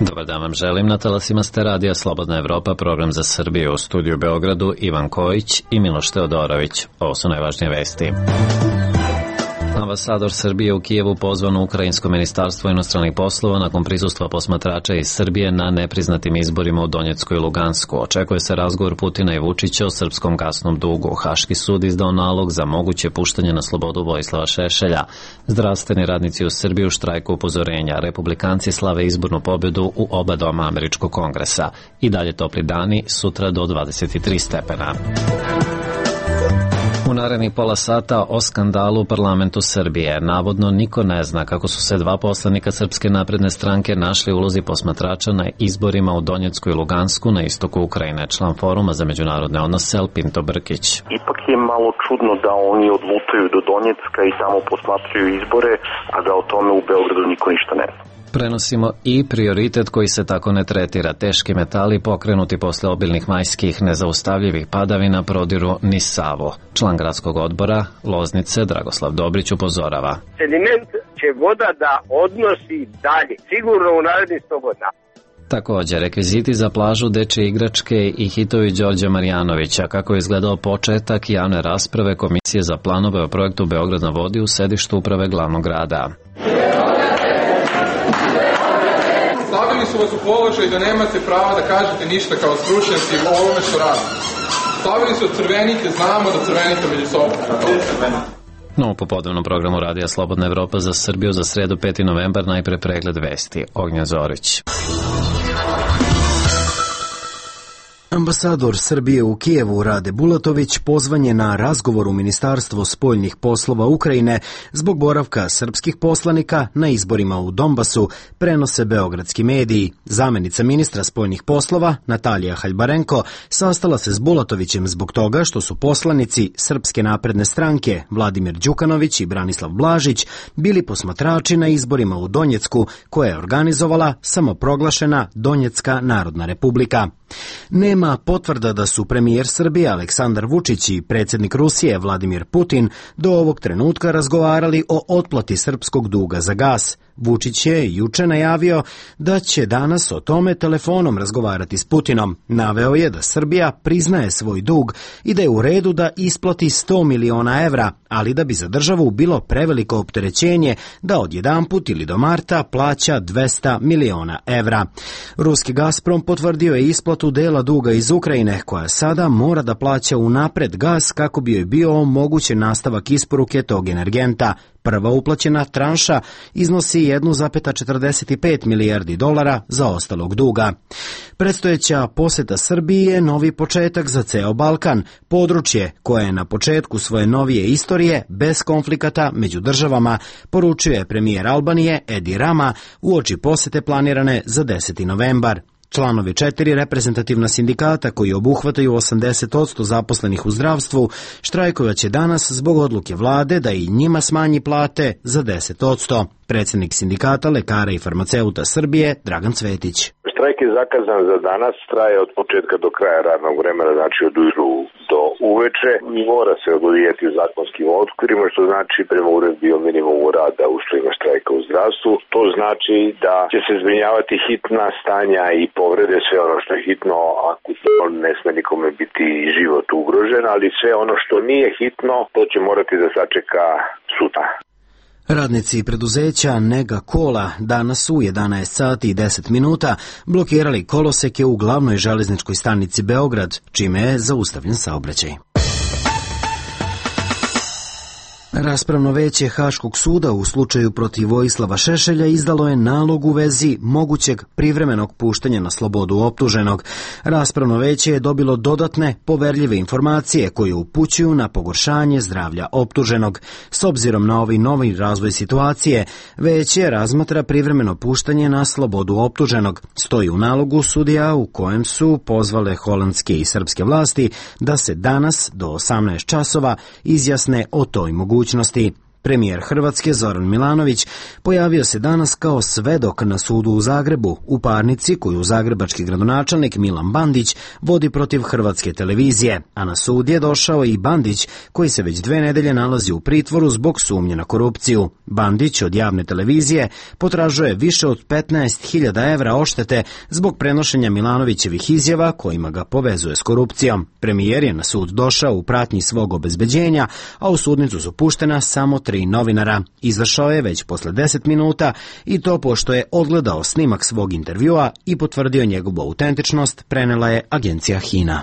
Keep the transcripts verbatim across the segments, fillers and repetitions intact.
Dobar dan vam želim, na talasima ste radija Slobodna Evropa, program za Srbiju, u studiju Beogradu Ivan Kojić i Miloš Teodorović. Ovo su najvažnije vesti. Ambasador Srbije u Kijevu pozvan u Ukrajinsko ministarstvo inostranih poslova nakon prisustva posmatrača iz Srbije na nepriznatim izborima u Donjecku i Lugansku. Očekuje se razgovor Putina i Vučića o srpskom gasnom dugu. Haški sud izdao nalog za moguće puštanje na slobodu Vojislava Šešelja. Zdravstveni radnici u Srbiji u štrajku upozorenja. Republikanci slave izbornu pobjedu u oba doma Američkog kongresa. I dalje topli dani, sutra do dvadeset tri stepena. U narednih pola sata o skandalu u parlamentu Srbije. Navodno niko ne zna kako su se dva poslanika Srpske napredne stranke našli u ulozi posmatrača na izborima u Donjecku i Lugansku na istoku Ukrajine. Član Foruma za međunarodne odnose Pinto Brkić. Ipak je malo čudno da oni odlutaju do Donjecka i tamo posmatraju izbore, a da o tome u Beogradu niko ništa ne zna. Prenosimo i prioritet koji se tako ne tretira. Teški metali pokrenuti posle obilnih majskih nezaustavljivih padavina prodiru niz Savu. Član gradskog odbora Loznice Dragoslav Dobrić upozorava. Sediment će voda da odnosi dalje, sigurno u narednih sto godina. Također, rekviziti za plažu, dečje igračke i hitovi Đorđa Marjanovića, kako je izgledao početak javne rasprave Komisije za planove o projektu Beograd na vodi u sedištu uprave glavnog grada. Stavili su vas u položaj da nemate prava da kažete ništa kao stručnjaci o ovome što radite. Stavili su crvenite, znamo da crvenite među sobom. No, u popodnevnom programu Radija Slobodna Evropa za Srbiju za sredu peti novembar najpre pregled vesti. Ognjen Zorić. Ambasador Srbije u Kijevu Rade Bulatović pozvan je na razgovor u Ministarstvo spoljnih poslova Ukrajine zbog boravka srpskih poslanika na izborima u Donbasu, prenose beogradski mediji. Zamenica ministra spoljnih poslova Natalija Haljbarenko sastala se s Bulatovićem zbog toga što su poslanici Srpske napredne stranke Vladimir Đukanović i Branislav Blažić bili posmatrači na izborima u Donjecku koje je organizovala samoproglašena Donjecka narodna republika. Nema potvrda da su premijer Srbije Aleksandar Vučić i predsjednik Rusije Vladimir Putin do ovog trenutka razgovarali o otplati srpskog duga za gas. Vučić je juče najavio da će danas o tome telefonom razgovarati s Putinom. Naveo je da Srbija priznaje svoj dug i da je u redu da isplati sto miliona evra, ali da bi za državu bilo preveliko opterećenje da odjedanput ili do marta plaća dvesta miliona evra. Ruski Gazprom potvrdio je isplatu dela duga iz Ukrajine, koja sada mora da plaća unapred gas kako bi joj bio omogućen nastavak isporuke tog energenta. Prva uplaćena tranša iznosi jedan zarez četrdeset pet milijardi dolara za ostalog duga. Predstojeća poseta Srbiji je novi početak za ceo Balkan, područje koje je na početku svoje novije istorije bez konflikata među državama, poručuje premijer Albanije Edi Rama uoči posete planirane za deseti novembar. Članovi četiri reprezentativna sindikata koji obuhvataju osamdeset posto zaposlenih u zdravstvu štrajkovaće danas zbog odluke vlade da i njima smanji plate za deset posto. Predsjednik sindikata lekara i farmaceuta Srbije Dragan Cvetić. Štrajk je zakazan za danas, traje od početka do kraja radnog vremena, znači od ujutru do uveče. Mora se odvijati zakonskim okvirima, što znači prema uredbi o minimumu rada u uslovima štrajka u zdravstvu. To znači da će se zbrinjavati hitna stanja i povrede, sve ono što je hitno, akutno, ne sme nikome biti život ugrožen, ali sve ono što nije hitno, to će morati da sačeka sutra. Radnici preduzeća Nega Kola danas u jedanaest sati i deset minuta blokirali koloseke u glavnoj železničkoj stanici Beograd, čime je zaustavljen saobraćaj. Raspravno veće Haškog suda u slučaju protiv Vojislava Šešelja izdalo je nalog u vezi mogućeg privremenog puštanja na slobodu optuženog. Raspravno veće je dobilo dodatne poverljive informacije koje upućuju na pogoršanje zdravlja optuženog. S obzirom na ovaj novi razvoj situacije, veće razmatra privremeno puštanje na slobodu optuženog. Stoji u nalogu sudija u kojem su pozvale holandske i srpske vlasti da se danas do osamnaest časova izjasne o toj mogućnosti. Premijer Hrvatske Zoran Milanović pojavio se danas kao svedok na sudu u Zagrebu u parnici koju zagrebački gradonačelnik Milan Bandić vodi protiv Hrvatske televizije, a na sud je došao i Bandić koji se već dve nedelje nalazi u pritvoru zbog sumnje na korupciju. Bandić od javne televizije potražuje više od petnaest hiljada evra odštete zbog prenošenja Milanovićevih izjava kojima ga povezuje s korupcijom. Premijer je na sud došao u pratnji svog obezbeđenja, a u sudnicu su puštena samo tri novinara. Izašao je već posle deset minuta i to pošto je odgledao snimak svog intervjua i potvrdio njegovu autentičnost, prenela je agencija Hina.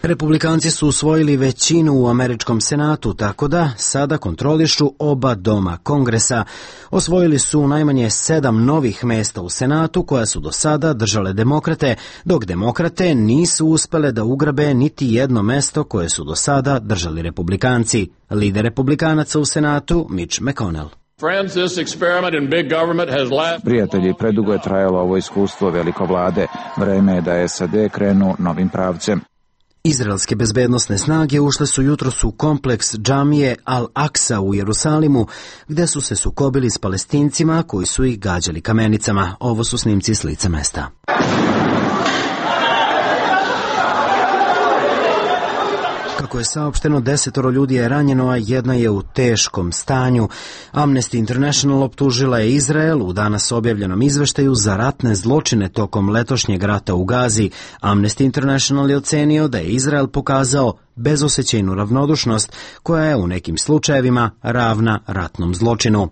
Republikanci su usvojili većinu u američkom senatu, tako da sada kontrolišu oba doma Kongresa. Osvojili su najmanje sedam novih mesta u senatu koja su do sada držale demokrate, dok demokrate nisu uspele da ugrabe niti jedno mesto koje su do sada držali republikanci. Lider republikanaca u senatu, Mitch McConnell. Prijatelji, predugo je trajalo ovo iskustvo veliko vlade. Vreme je da S A D krenu novim pravcem. Izraelske bezbednosne snage ušle su jutros u kompleks džamije Al-Aksa u Jerusalimu, gde su se sukobili s Palestincima koji su ih gađali kamenicama. Ovo su snimci s lica mesta. Kako je saopšteno, desetoro ljudi je ranjeno, a jedna je u teškom stanju. Amnesty International optužila je Izrael u danas objavljenom izveštaju za ratne zločine tokom letošnjeg rata u Gazi. Amnesty International je ocenio da je Izrael pokazao bezosećajnu ravnodušnost koja je u nekim slučajevima ravna ratnom zločinu.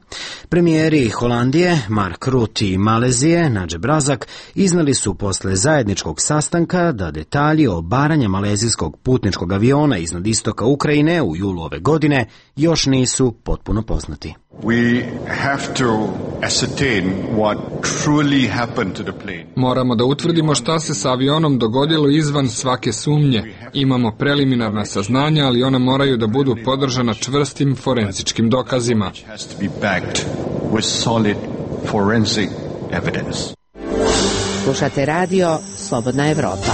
Premijeri Holandije, Mark Rutte i Malezije, Nadžeb Razak, iznali su posle zajedničkog sastanka da detalji o obaranja malezijskog putničkog aviona iznad istoka Ukrajine u julu ove godine još nisu potpuno poznati. We have to ascertain what truly happened to the plane. Moramo da utvrdimo šta se sa avionom dogodilo izvan svake sumnje. Imamo preliminarna saznanja, ali ona moraju da budu podržana čvrstim forenzičkim dokazima. Has to be backed with solid forensic evidence. Slušate radio Slobodna Evropa.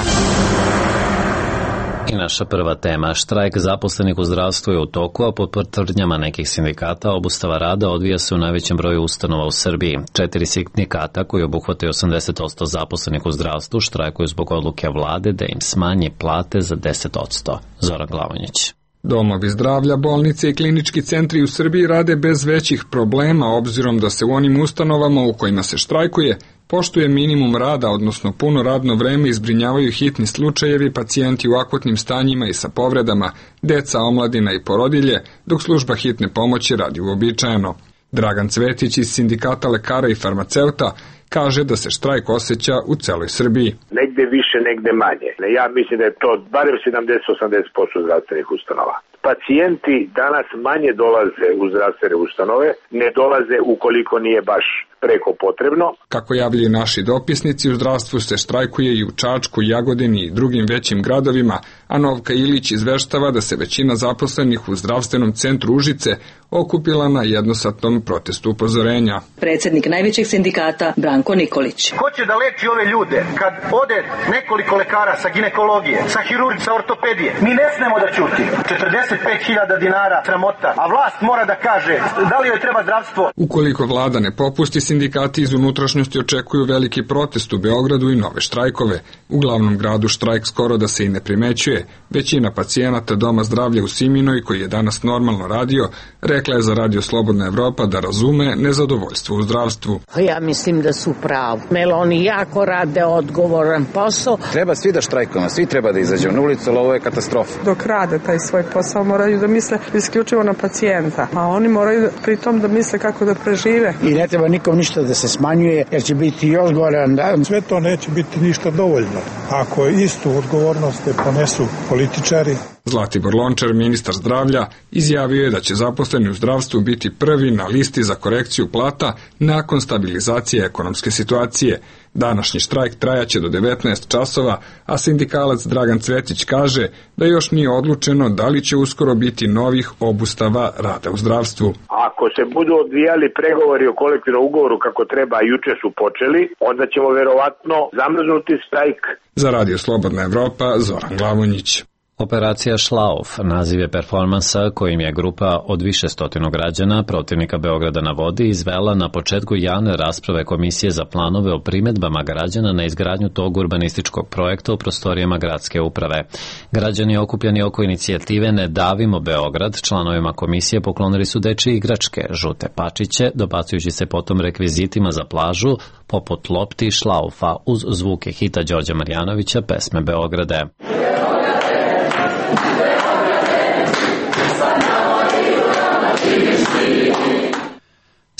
I naša prva tema, štrajk zaposlenih u zdravstvu je u toku, a pod tvrdnjama nekih sindikata obustava rada odvija se u najvećem broju ustanova u Srbiji. Četiri sindikata koji obuhvataju osamdeset posto zaposlenih u zdravstvu štrajkuju zbog odluke vlade da im smanji plate za deset posto. Zoran Glavonjić. Domovi zdravlja, bolnice i klinički centri u Srbiji rade bez većih problema, obzirom da se u onim ustanovama u kojima se štrajkuje poštuje minimum rada, odnosno puno radno vreme i zbrinjavaju hitni slučajevi, pacijenti u akutnim stanjima i sa povredama, deca, omladina i porodilje, dok služba hitne pomoći radi uobičajeno. Dragan Cvetić iz sindikata lekara i farmaceuta kaže da se štrajk osjeća u celoj Srbiji. Negde više, negde manje. Ja mislim da je to barem sedamdeset do osamdeset posto zdravstvenih ustanova. Pacijenti danas manje dolaze u zdravstvene ustanove, ne dolaze ukoliko nije baš preko potrebno. Kako javljaju naši dopisnici, u zdravstvu se štrajkuje i u Čačku, Jagodini i drugim većim gradovima, a Novka Ilić izveštava da se većina zaposlenih u zdravstvenom centru Užice okupila na jednosatnom protestu upozorenja. Predsjednik najvećeg sindikata Branko Nikolić. Ko će da leči ove ljude kad ode nekoliko lekara sa ginekologije, sa hirurgije, sa ortopedije? Mi ne smemo da ćutimo. četrdeset pet hiljada dinara sramota, a vlast mora da kaže da li joj treba zdravstvo. Ukoliko vlada ne popusti, sindikati iz unutrašnjosti očekuju veliki protest u Beogradu i nove štrajkove. U glavnom gradu štrajk skoro da se i ne primećuje. Većina pacijenata Doma zdravlja u Siminoj, koji je danas normalno radio, rekla je za Radio Slobodna Evropa da razume nezadovoljstvo u zdravstvu. Ja mislim da su pravi. Jer oni jako rade odgovoran posao. Treba svi da štrajkujemo, svi treba da izađemo na ulicu, ali ovo je katastrofa. Dok rade taj svoj posao moraju da misle isključivo na pacijenta, a oni moraju pritom da misle kako da prežive. I ne treba nikom ništa da se smanjuje, jer će biti još goran dan. Sve to neće biti ništa dovoljno. Ako istu odgovornost ne ponesu političari. Zlatibor Lončar, ministar zdravlja, izjavio je da će zaposleni u zdravstvu biti prvi na listi za korekciju plata nakon stabilizacije ekonomske situacije. Današnji štrajk trajaće do devetnaest časova, a sindikalac Dragan Cvetić kaže da još nije odlučeno da li će uskoro biti novih obustava rada u zdravstvu. Ako se budu odvijali pregovori o kolektivnom ugovoru kako treba, a juče su počeli, onda ćemo verovatno zamrznuti štrajk. Za Radio Slobodna Evropa, Zoran Glavonjić. Operacija Šlauf naziv je performansa kojim je grupa od više stotinu građana protivnika Beograda na vodi izvela na početku javne rasprave Komisije za planove o primedbama građana na izgradnju tog urbanističkog projekta u prostorijama gradske uprave. Građani okupljeni oko inicijative Ne davimo Beograd članovima komisije poklonili su dečije igračke, žute pačiće, dobacujući se potom rekvizitima za plažu, poput lopti i šlaufa uz zvuke hita Đorđa Marjanovića pesme Beograde.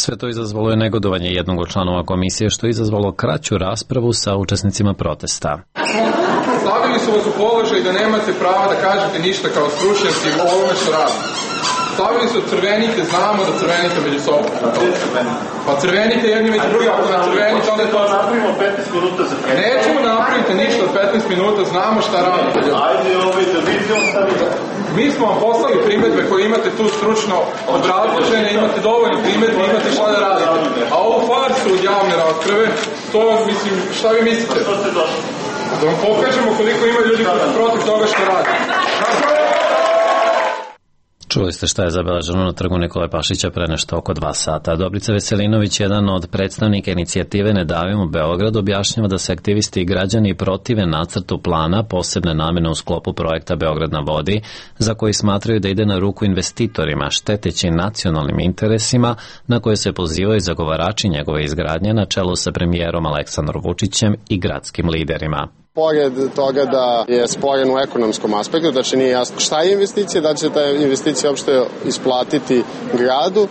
Sve to izazvalo je negodovanje jednog od članova komisije, što je izazvalo kraću raspravu sa učesnicima protesta. Stavili su vas u položaj da nemate prava da kažete ništa kao stručnjaci o ovome što radite. Stavili su crvenite, znamo da crvenite među sobom. Pa crvenite jedni među drugim, ako na crvenite, onda je to... Napravimo petnaest minuta za crvenite. Nećemo napraviti ništa od petnaest minuta, znamo šta radite. Ajde, ovaj da vidimo stavite. Mi smo vam poslali primedbe koje imate tu stručno obrazložene, imate dovoljno primedbe, imate šta da radite. A ovu farsu od javne rasprave, to, mislim, šta vi mislite? Što ste došli? Da vam pokažemo koliko ima ljudi protiv toga što radi. Čuli ste šta je zabeleženo na trgu Nikole Pašića pre nešto oko dva sata. Dobrica Veselinović, jedan od predstavnika inicijative Ne davimo Beograd, objašnjava da se aktivisti i građani protive nacrtu plana posebne namene u sklopu projekta Beograd na vodi, za koji smatraju da ide na ruku investitorima, šteteći nacionalnim interesima na koje se pozivaju zagovarači njegove izgradnje na čelu sa premijerom Aleksandrom Vučićem i gradskim liderima. Pored toga da je sporen u ekonomskom aspektu, znači nije jasno šta je investicija, da će se ta investicija uopšte isplatiti gradu,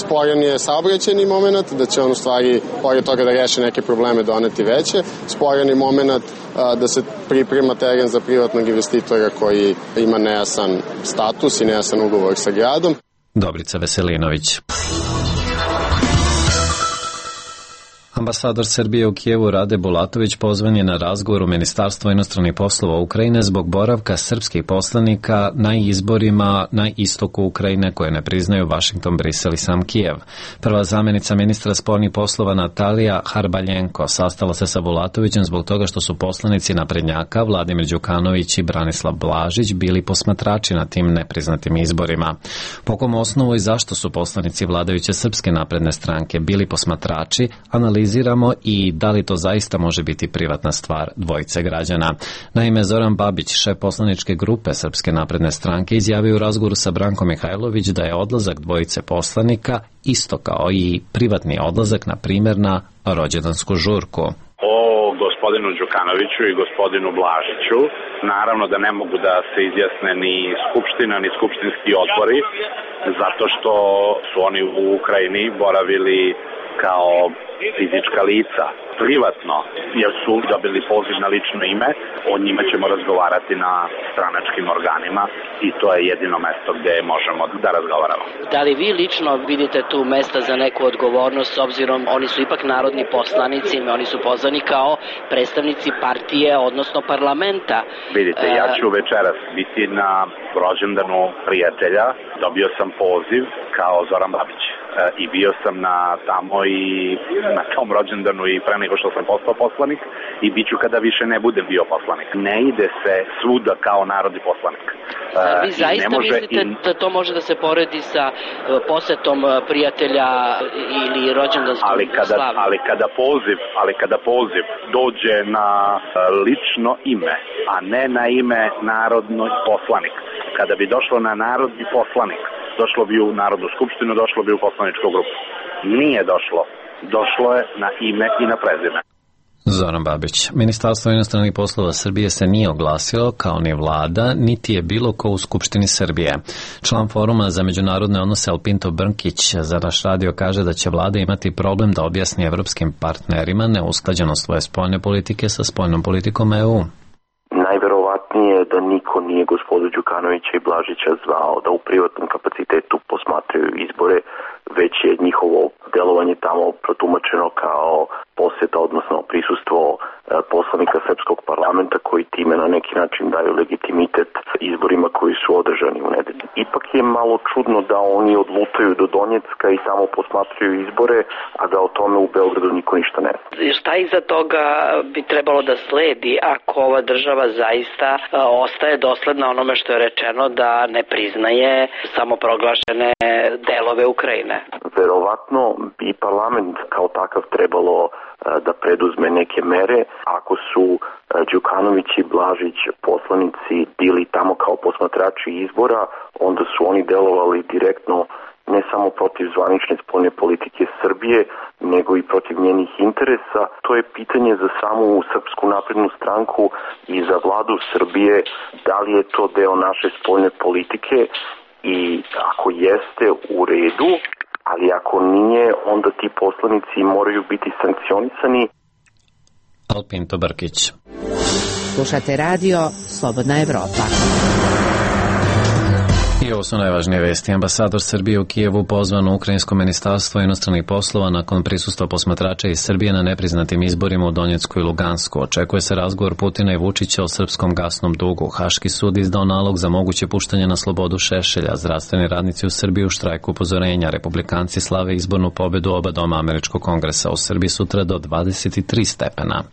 sporen je saobraćajni moment, da će on u stvari, pored toga da reši neke probleme, doneti veće, sporen je moment da se priprema teren za privatnog investitora koji ima nejasan status i nejasan ugovor sa gradom. Dobrica Veselinović. Ambasador Srbije u Kijevu Rade Bulatović pozvan je na razgovor u Ministarstvo inostranih poslova Ukrajine zbog boravka srpskih poslanika na izborima na istoku Ukrajine koje ne priznaju Vašington, Brisel i sam Kijev. Prva zamjenica ministra spoljnih poslova Natalija Harbaljenko sastala se sa Bulatovićem zbog toga što su poslanici naprednjaka Vladimir Đukanović i Branislav Blažić bili posmatrači na tim nepriznatim izborima. Po kom osnovu i zašto su poslanici vladajuće Srpske napredne stranke bili posmatrači, analiziramo i da li to zaista može biti privatna stvar dvojice građana. Naime, Zoran Babić, šef poslaničke grupe Srpske napredne stranke, izjavio u razgovoru sa Brankom Mihajlović da je odlazak dvojice poslanika isto kao i privatni odlazak, na primjer, na rođendansku žurku. O gospodinu Đukanoviću i gospodinu Blažiću naravno da ne mogu da se izjasne ni skupština ni skupštinski odbori, zato što su oni u Ukrajini boravili kao fizička lica, privatno, jer su dobili poziv na lično ime, o njima ćemo razgovarati na stranačkim organima i to je jedino mesto gde možemo da razgovaramo. Da li vi lično vidite tu mesta za neku odgovornost, s obzirom oni su ipak narodni poslanici, oni su pozvani kao predstavnici partije, odnosno parlamenta? Vidite, ja ću večeras biti na rođendanu prijatelja, dobio sam poziv kao Zoran Babić. I bio sam na tamo i na tom rođendanu i pre nego što sam postao poslanik i bit ću kada više ne budem bio poslanik. Ne ide se svuda kao narodni poslanik. A vi zaista mislite i... da to može da se poredi sa posetom prijatelja ili rođendanskom ali kada, slavom? Ali kada poziv, ali kada poziv dođe na lično ime, a ne na ime narodni poslanik. Kada bi došlo na narodni poslanik, došlo bi u Narodnu skupštinu, došlo bi u poslaničku grupu. Nije došlo. Došlo je na ime i na prezime. Zoran Babić. Ministarstvo inostranih poslova Srbije se nije oglasilo, kao ni vlada, niti je bilo ko u Skupštini Srbije. Član foruma za međunarodne odnose Alpinto Brnkić za naš radio kaže da će vlada imati problem da objasni evropskim partnerima neusklađenost svoje spoljne politike sa spoljnom politikom E U. Najverovatnije je da niko nije gospodu Đukanovića i Blažića zvao da u privatnom kapacitetu posmatraju izbore već je njihovo delovanje tamo protumačeno kao poseta, odnosno prisustvo poslanika srpskog parlamenta koji time na neki način daju legitimitet izborima koji su održani u nedelju. Ipak je malo čudno da oni odlutaju do Donjecka i tamo posmatraju izbore, a da o tome u Beogradu niko ništa ne zna. Šta iza toga bi trebalo da sledi ako ova država zaista ostaje dosledna onome što je rečeno da ne priznaje samoproglašene delove Ukrajine? Verovatno bi parlament kao takav trebalo da preduzme neke mere. Ako su Đukanović i Blažić poslanici bili tamo kao posmatrači izbora, onda su oni delovali direktno ne samo protiv zvanične spoljne politike Srbije, nego i protiv njenih interesa. To je pitanje za samu Srpsku naprednu stranku i za vladu Srbije, da li je to deo naše spoljne politike i ako jeste, u redu, ali ako nije, onda ti poslanici moraju biti sankcionisani. Alpinto Brkić. Slušate radio Slobodna Evropa. I ovo su najvažnije vesti. Ambasador Srbije u Kijevu pozvan u Ukrajinsko ministarstvo inostranih poslova nakon prisustva posmatrača iz Srbije na nepriznatim izborima u Donjecku i Lugansku. Očekuje se razgovor Putina i Vučića o srpskom gasnom dugu. Haški sud izdao nalog za moguće puštanje na slobodu Šešelja. Zdravstveni radnici u Srbiji u štrajku upozorenja. Republikanci slave izbornu pobedu oba doma Američkog kongresa. U Srbiji sutra do dvadeset tri stepena.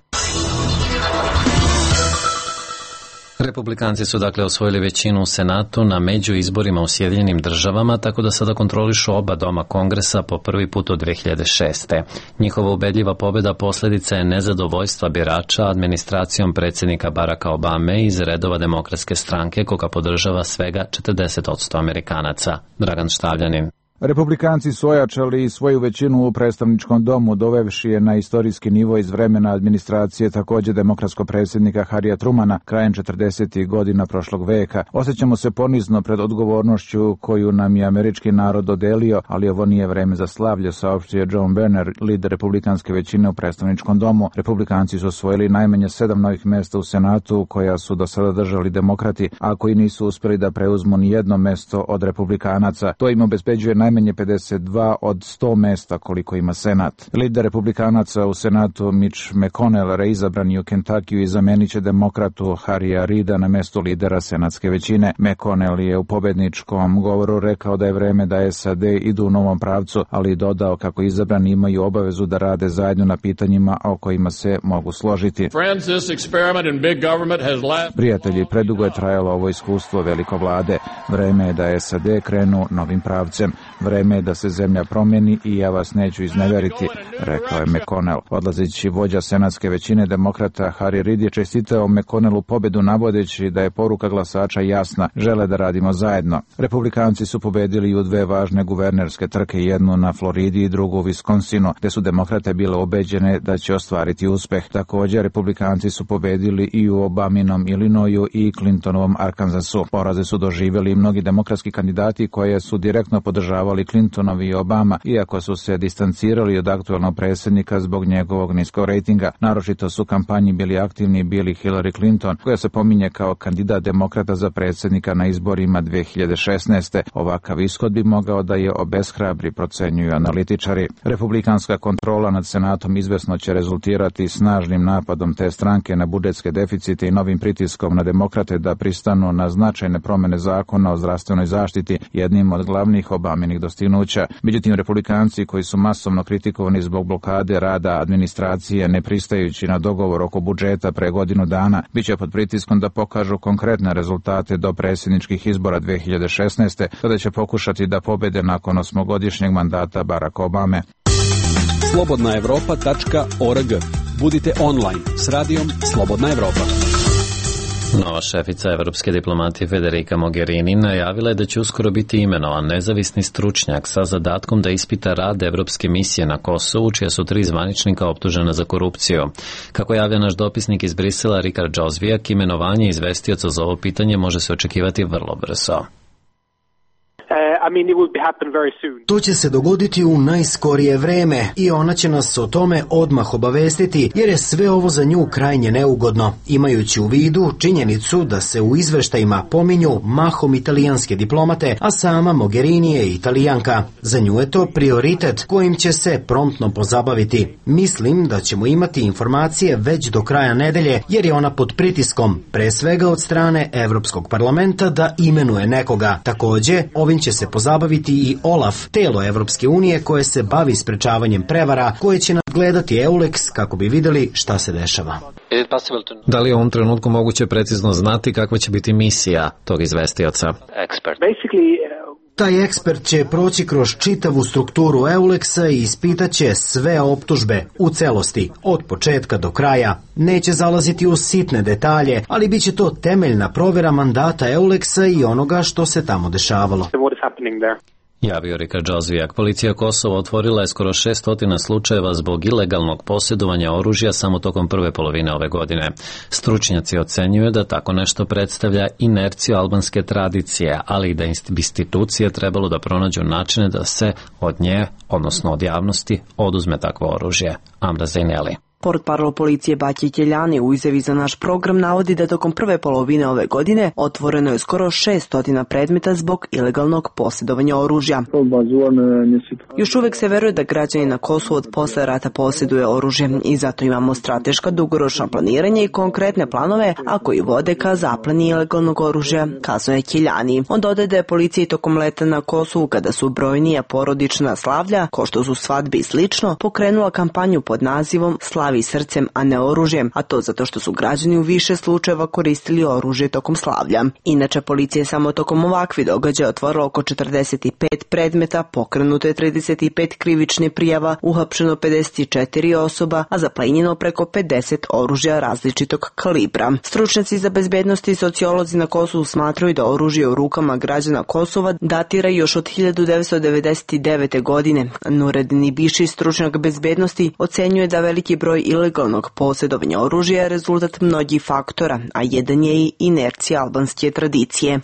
Republikanci su dakle osvojili većinu u Senatu na među izborima u Sjedinjenim državama, tako da sada kontrolišu oba doma kongresa po prvi put od dve hiljade šeste. Njihova ubedljiva pobjeda posljedica je nezadovoljstva birača administracijom predsjednika Baracka Obame iz redova Demokratske stranke, koga podržava svega četrdeset posto Amerikanaca. Dragan Štavljanin. Republikanci su ojačali svoju većinu u predstavničkom domu, dovevši je na istorijski nivo iz vremena administracije također demokratskog predsjednika Harrya Trumana krajem četrdesetih godina prošlog veka. Osjećamo se ponizno pred odgovornošću koju nam je američki narod dodelio, ali ovo nije vreme za slavlje, saopštio John Boehner, lider republikanske većine u predstavničkom domu. Republikanci su osvojili najmanje sedam novih mjesta u Senatu, koja su do sada držali demokrati, a koji nisu uspjeli da preuzmu ni jedno mesto od republikanaca. To im obezbeđuje najmanje pedeset dva od sto mesta koliko ima Senat. Lider republikanaca u Senatu Mitch McConnell reizabran je u Kentakiju i zamenit će demokratu Harrya Reida na mestu lidera senatske većine. McConnell je u pobedničkom govoru rekao da je vreme da S A D idu u novom pravcu, ali dodao kako izabrani imaju obavezu da rade zajedno na pitanjima o kojima se mogu složiti. Prijatelji, predugo je trajalo ovo iskustvo velikovlade. Vreme je da S A D krenu novim pravcem. Vreme je da se zemlja promijeni i ja vas neću izneveriti, rekao je McConnell. Odlazeći vođa senatske većine demokrata Harry Reid je čestitao McConnellu pobedu navodeći da je poruka glasača jasna, žele da radimo zajedno. Republikanci su pobedili i u dve važne guvernerske trke, jednu na Floridi i drugu u Wisconsinu, gde su demokrate bile ubeđene da će ostvariti uspeh. Također, republikanci su pobedili i u Obaminom Illinoisu i Clintonovom Arkansasu. Poraze su doživjeli i mnogi demokratski kandidati koje su direktno podržavali Clintonovi i Obama, iako su se distancirali od aktuelnog predsjednika zbog njegovog niskog rejtinga. Naročito su u kampanji bili aktivni bili Hillary Clinton, koja se pominje kao kandidat demokrata za predsjednika na izborima dve hiljade šesnaeste. Ovakav ishod bi mogao da je obeshrabri, procenjuju analitičari. Republikanska kontrola nad Senatom izvesno će rezultirati snažnim napadom te stranke na budžetske deficite i novim pritiskom na demokrate da pristanu na značajne promjene zakona o zdravstvenoj zaštiti, jednim od glavnih Obaminih dostignuća. Međutim, republikanci koji su masovno kritikovani zbog blokade rada administracije ne pristajući na dogovor oko budžeta pre godinu dana, bit će pod pritiskom da pokažu konkretne rezultate do predsjedničkih izbora dve hiljade šesnaeste, kada će pokušati da pobede nakon osmogodišnjeg mandata Baracka Obame. slobodna evropa tačka org. Budite online s radijom Slobodna Evropa. Nova šefica evropske diplomatije Federica Mogherini najavila je da će uskoro biti imenovan nezavisni stručnjak sa zadatkom da ispita rad evropske misije na Kosovu, čija su tri zvaničnika optužena za korupciju. Kako javlja naš dopisnik iz Brisela Rikard Džozvijak, imenovanje izvestioca za ovo pitanje može se očekivati vrlo brzo. I mean, it will be happen very soon. To će se dogoditi u najskorije vreme i ona će nas o tome odmah obavestiti, jer je sve ovo za nju krajnje neugodno, imajući u vidu činjenicu da se u izveštajima pominju mahom italijanske diplomate, a sama Mogherini je Italijanka. Za nju je to prioritet kojim će se promptno pozabaviti. Mislim da ćemo imati informacije već do kraja nedelje, jer je ona pod pritiskom, pre svega od strane Evropskog parlamenta, da imenuje nekoga. Takođe, ovim će se pozabaviti i OLAF, telo Evropske unije koje se bavi sprečavanjem prevara, koje će nadgledati EULEX kako bi videli šta se dešava. Da li je u ovom trenutku moguće precizno znati kakva će biti misija tog izvestioca? Taj ekspert će proći kroz čitavu strukturu EULEX-a i ispitaće sve optužbe u celosti, od početka do kraja. Neće zalaziti u sitne detalje, ali bit će to temeljna provjera mandata EULEX-a i onoga što se tamo dešavalo. Javio Rika Džozvijak. Policija Kosova otvorila je skoro šestotina slučajeva zbog ilegalnog posjedovanja oružja samo tokom prve polovine ove godine. Stručnjaci ocenjuju da tako nešto predstavlja inerciju albanske tradicije, ali i da institucije trebalo da pronađu načine da se od nje, odnosno od javnosti, oduzme takvo oružje. Amra Zejneli. Portparol policije Baki Keljani u izjavi za naš program navodi da tokom prve polovine ove godine otvoreno je skoro šestotina predmeta zbog ilegalnog posjedovanja oružja. Još uvek se veruje da građani na Kosovu od posle rata posjeduje oružje i zato imamo strateška dugoročna planiranja i konkretne planove, a koji vode ka zapleni ilegalnog oružja, kazuje Keljani. On dodaje da je policija tokom leta na Kosovu, kada su brojnija porodična slavlja, ko što su svadbe i slično, pokrenula kampanju pod nazivom Slavi srcem, a ne oružjem, a to zato što su građani u više slučajeva koristili oružje tokom slavlja. Inače, policija je samo tokom ovakvi događaja otvorila oko četrdeset pet predmeta, pokrenuto je trideset pet krivičnih prijava, uhapšeno pedeset četiri osoba, a zaplenjeno preko pedeset oružja različitog kalibra. Stručnjaci za bezbednost i sociolozi na Kosovu smatraju da oružje u rukama građana Kosova datira još od hiljadu devetsto devedeset devete. godine. Nureddin Ibiši, stručnjak bezbednosti, ocenjuje da veliki broj ilegalnog posjedovanja oružja je rezultat mnogih faktora, a jedan je i inercija albanske tradicije.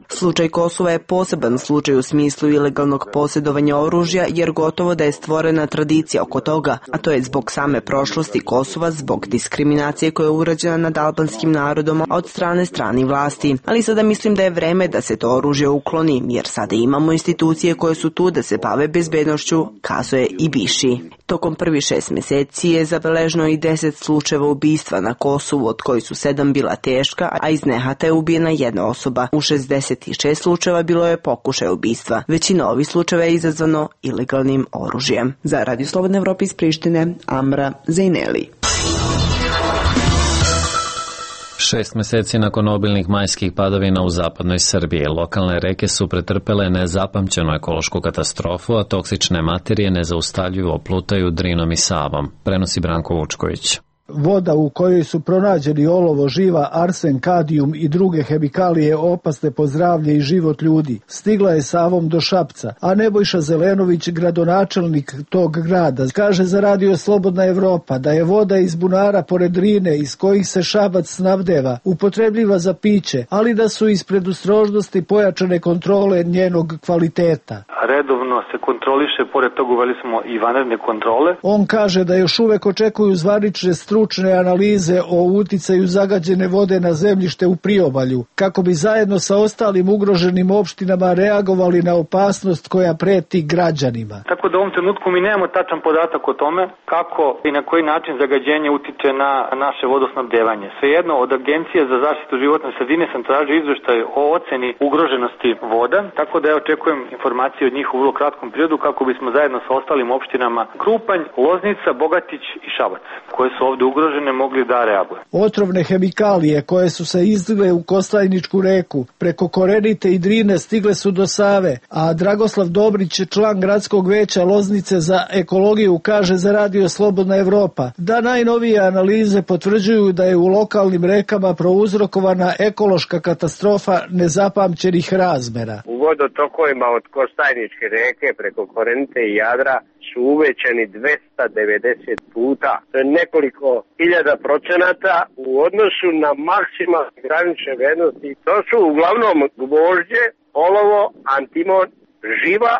Slučaj Kosova je poseban slučaj u smislu ilegalnog posjedovanja oružja, jer gotovo da je stvorena tradicija oko toga, a to je zbog same prošlosti Kosova, zbog diskriminacije koja je urađena nad albanskim narodom od strane stranih vlasti. Ali sada mislim da je vreme da se to oružje ukloni, jer sada imamo institucije koje su tu da se bave bezbednošću, kazuje Ibiši. Tokom prvi šest meseci je zabeleženo i deset slučajeva ubistva na Kosovu, od koji su sedam bila teška, a iz nehata je ubijena jedna osoba. U šezdeset šest slučajeva bilo je pokušaj ubistva. Većina ovih slučajeva je izazvano ilegalnim oružjem. Za Radio Slobodne Evrope iz Prištine, Amra Zejneli. Šest meseci nakon obilnih majskih padavina u zapadnoj Srbiji, lokalne reke su pretrpele nezapamćenu ekološku katastrofu, a toksične materije nezaustavljivo plutaju Drinom i Savom, prenosi Branko Vučković. Voda u kojoj su pronađeni olovo, živa, arsen, kadijum i druge hemikalije opasne po zdravlje i život ljudi, stigla je Savom do Šapca, a Nebojša Zelenović, gradonačelnik tog grada, kaže za Radio Slobodna Evropa da je voda iz bunara pored Drine, iz kojih se Šabac snabdeva, upotrebljiva za piće, ali da su iz predostrožnosti pojačane kontrole njenog kvaliteta. Redovno se kontroliše, pored toga uveli smo i vanredne kontrole. On kaže da još uvek očekuju zvanične stručne analize o uticaju zagađene vode na zemljište u priobalju, kako bi zajedno sa ostalim ugroženim opštinama reagovali na opasnost koja preti građanima. Tako da u ovom trenutku mi nemamo tačan podatak o tome kako i na koji način zagađenje utiče na naše vodosnabdevanje. Svejedno, od Agencije za zaštitu životne sredine sam tražio izveštaj o oceni ugroženosti voda, tako da ja očekujem informacije od njih u vrlo kratkom periodu kako bismo zajedno sa ostalim opštinama Krupanj, Loznica, Bogatić i Šabac, koje su ovde ugrožene, mogli da reaguju. Otrovne hemikalije koje su se izlile u Kostajničku reku, preko Korenite i Drine stigle su do Save, a Dragoslav Dobrić, član gradskog veća Loznice za ekologiju, kaže za Radio Slobodna Evropa da najnovije analize potvrđuju da je u lokalnim rekama prouzrokovana ekološka katastrofa nezapamćenih razmera. U vodotokovima od Kostajničke reke preko Korenite i Jadra su uvećani dvesta devedeset puta. To je nekoliko hiljada procenata u odnosu na maksimalne granične vrednosti. To su uglavnom gvožđe, olovo, antimon, živa,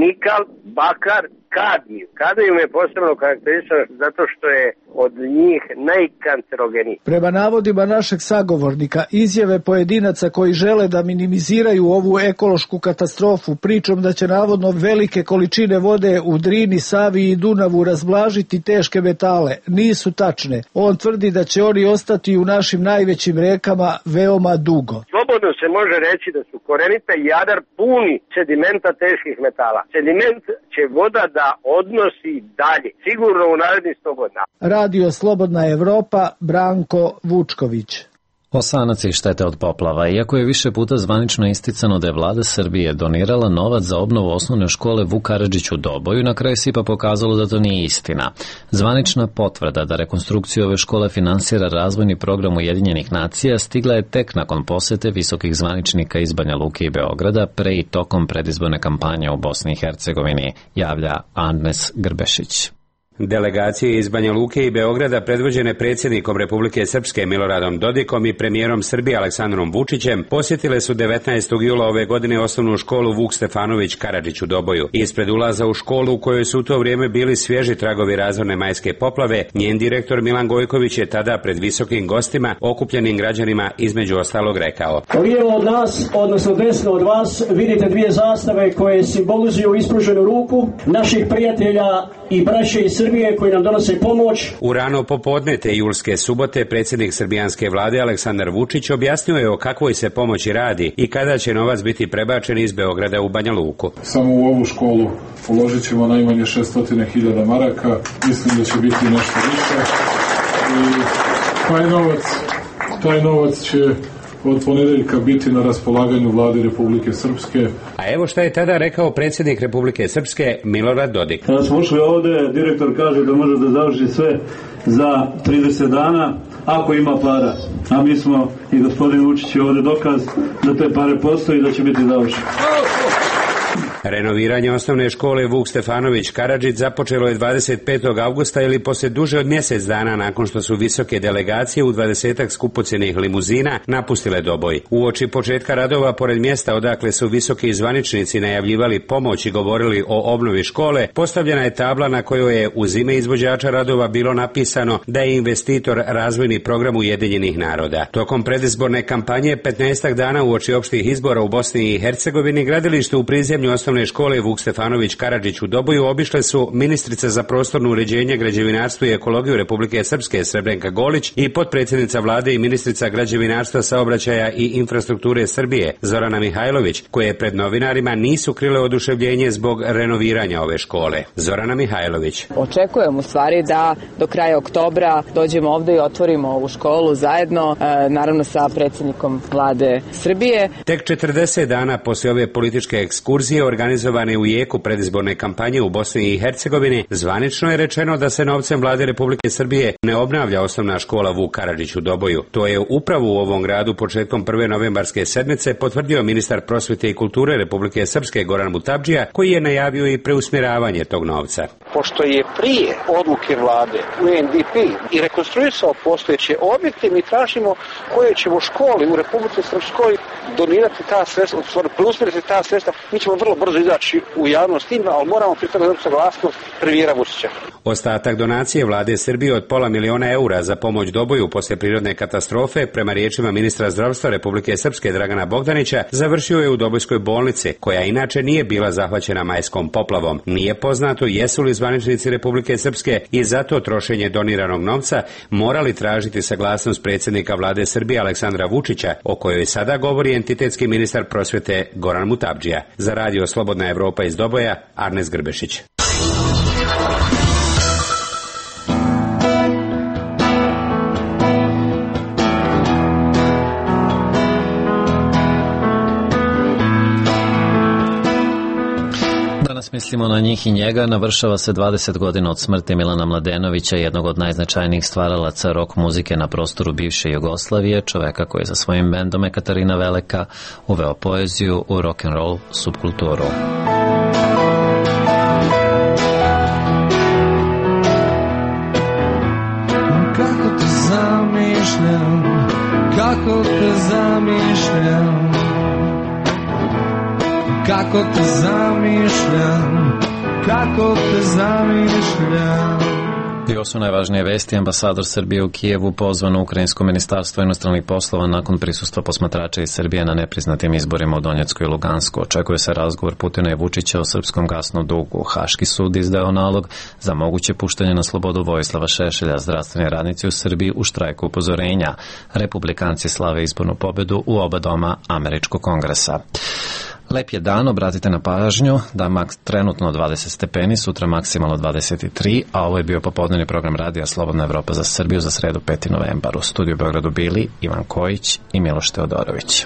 nikal, bakar, kadmiju. Kadmiju je posebno karakterističan zato što je od njih najkancerogeniji. Prema navodima našeg sagovornika, izjave pojedinaca koji žele da minimiziraju ovu ekološku katastrofu pričom da će navodno velike količine vode u Drini, Savi i Dunavu razblažiti teške metale nisu tačne. On tvrdi da će oni ostati u našim najvećim rekama veoma dugo. Slobodno se može reći da su Korenica i Jadar puni sedimenta teških metala. Sediment će voda da odnosi dalje, sigurno u narednih sto godina. Radio Slobodna Evropa, Branko Vučković. Osanac i štete od poplava. Iako je više puta zvanično isticano da je vlada Srbije donirala novac za obnovu osnovne škole Vuk Karadžić u Doboju, na kraju se ipak pokazalo da to nije istina. Zvanična potvrda da rekonstrukciju ove škole finansira razvojni program Ujedinjenih nacija stigla je tek nakon posete visokih zvaničnika iz Banja Luke i Beograda pre i tokom predizborne kampanje u Bosni i Hercegovini, javlja Agnes Grbešić. Delegacije iz Banja Luke i Beograda predvođene predsjednikom Republike Srpske Miloradom Dodikom i premijerom Srbije Aleksandrom Vučićem posjetile su devetnaestog jula ove godine osnovnu školu Vuk Stefanović Karadžić u Doboju. Ispred ulaza u školu u kojoj su u to vrijeme bili svježi tragovi razorne majske poplave, njen direktor Milan Gojković je tada pred visokim gostima, okupljenim građanima, između ostalog rekao: Lijevo od nas, odnosno desno od vas, vidite dvije zastave koje simbolizuju ispruženu ruku naših prijatelja i braće iz Srbije koji nam donose pomoć. U rano popodne te julske subote predsjednik srbijanske vlade Aleksandar Vučić objasnio je o kakvoj se pomoći radi i kada će novac biti prebačen iz Beograda u Banja Luku. Samo u ovu školu uložit ćemo najmanje šesto hiljada maraka, mislim da će biti nešto više i taj novac, taj novac će od ponedeljka biti na raspolaganju vlade Republike Srpske. A evo šta je tada rekao predsjednik Republike Srpske Milorad Dodik. Kada smo ušli ovde, direktor kaže da može da završi sve za trideset dana, ako ima para. A mi smo i gospodin Vučić je ovde dokaz da te pare postoji i da će biti završeno. Renoviranje osnovne škole Vuk Stefanović Karadžić započelo je dvadeset petog avgusta ili poslije duže od mjesec dana nakon što su visoke delegacije u dvadesetak skupocjenih limuzina napustile Doboj. Uoči početka radova pored mjesta odakle su visoki zvaničnici najavljivali pomoć i govorili o obnovi škole, postavljena je tabla na kojoj je uz ime izvođača radova bilo napisano da je investitor razvojni program Ujedinjenih naroda. Tokom predizborne kampanje petnaestak dana uoči opštih izbora u Bosni i Hercegovini gradilište u prizemlju osnovne škole Vuk Stefanović Karadžić u Doboju obišle su ministrica za prostorno uređenje, građevinarstvo i ekologiju Republike Srpske Srebrenka Golić i potpredsjednica vlade i ministrica građevinarstva, saobraćaja i infrastrukture Srbije Zorana Mihajlović, koje pred novinarima nisu krile oduševljenje zbog renoviranja ove škole. Zorana Mihajlović: Očekujem u stvari da do kraja oktobra dođemo ovde i otvorimo ovu školu zajedno, naravno sa predsjednikom vlade Srbije. Tek četrdeset dana poslije ove političke ekskurzije organizovane u jeku predizborne kampanje u Bosni i Hercegovini, zvanično je rečeno da se novcem vlade Republike Srbije ne obnavlja osnovna škola Vuk Karadžić u Doboju. To je upravo u ovom gradu početkom prve novembarske sedmice potvrdio ministar prosvjete i kulture Republike Srpske Goran Mutabdžija, koji je najavio i preusmjeravanje tog novca. Pošto je prije odluke vlade U N D P i rekonstruisao postojeće objekte, mi tražimo koje ćemo škole u Republike Srpskoj donirati ta sredstva, preusmjeriti ta sredstva. Mi ćemo vrlo brzo izaći u javnost tim, ali moramo pri tome dobiti saglasnost premijera Vučića. Ostatak donacije vlade Srbije od pola miliona eura za pomoć Doboju poslije prirodne katastrofe, prema riječima ministra zdravstva Republike Srpske Dragana Bogdanića, završio je u Dobojskoj bolnici, koja inače nije bila zahvaćena majskom poplavom. Nije poznato jesu li zvaničnici Republike Srpske i zato trošenje doniranog novca morali tražiti saglasnost predsjednika vlade Srbije Aleksandra Vučića, o kojoj sada govori entitetski ministar prosvjete Goran Mutabdžija. Za radio Slobodna Evropa iz Doboja, Agnes Grbešić. Danas mislimo na njih i njega. Navršava se dvadeset godina od smrti Milana Mladenovića, jednog od najznačajnijih stvaralaca rock muzike na prostoru bivše Jugoslavije, čoveka koji je sa svojim bendom Ekaterina Velika uveo poeziju u rock'n'roll subkulturu. Kako te zamišljam, kako te zamišljam, kako te zamišljam, kako te zamišljam. I ovo su najvažnije vesti. Ambasador Srbije u Kijevu pozvan u Ukrajinsko ministarstvo inostranih poslova nakon prisustva posmatrača iz Srbije na nepriznatim izborima u Donjecku i Lugansku. Očekuje se razgovor Putina i Vučića o srpskom gasnom dugu. Haški sud izdao nalog za moguće puštanje na slobodu Vojislava Šešelja. Zdravstveni radnici u Srbiji u štrajku upozorenja. Republikanci slave izbornu pobedu u oba doma Američkog kongresa. Lep je dan, obratite na pažnju da maks trenutno dvadeset stepeni, sutra maksimalno dvadeset tri, a ovo je bio popodnevni program radija Slobodna Evropa za Srbiju za sredu peti novembar. U studiju u Beogradu bili Ivan Kojić i Miloš Teodorović.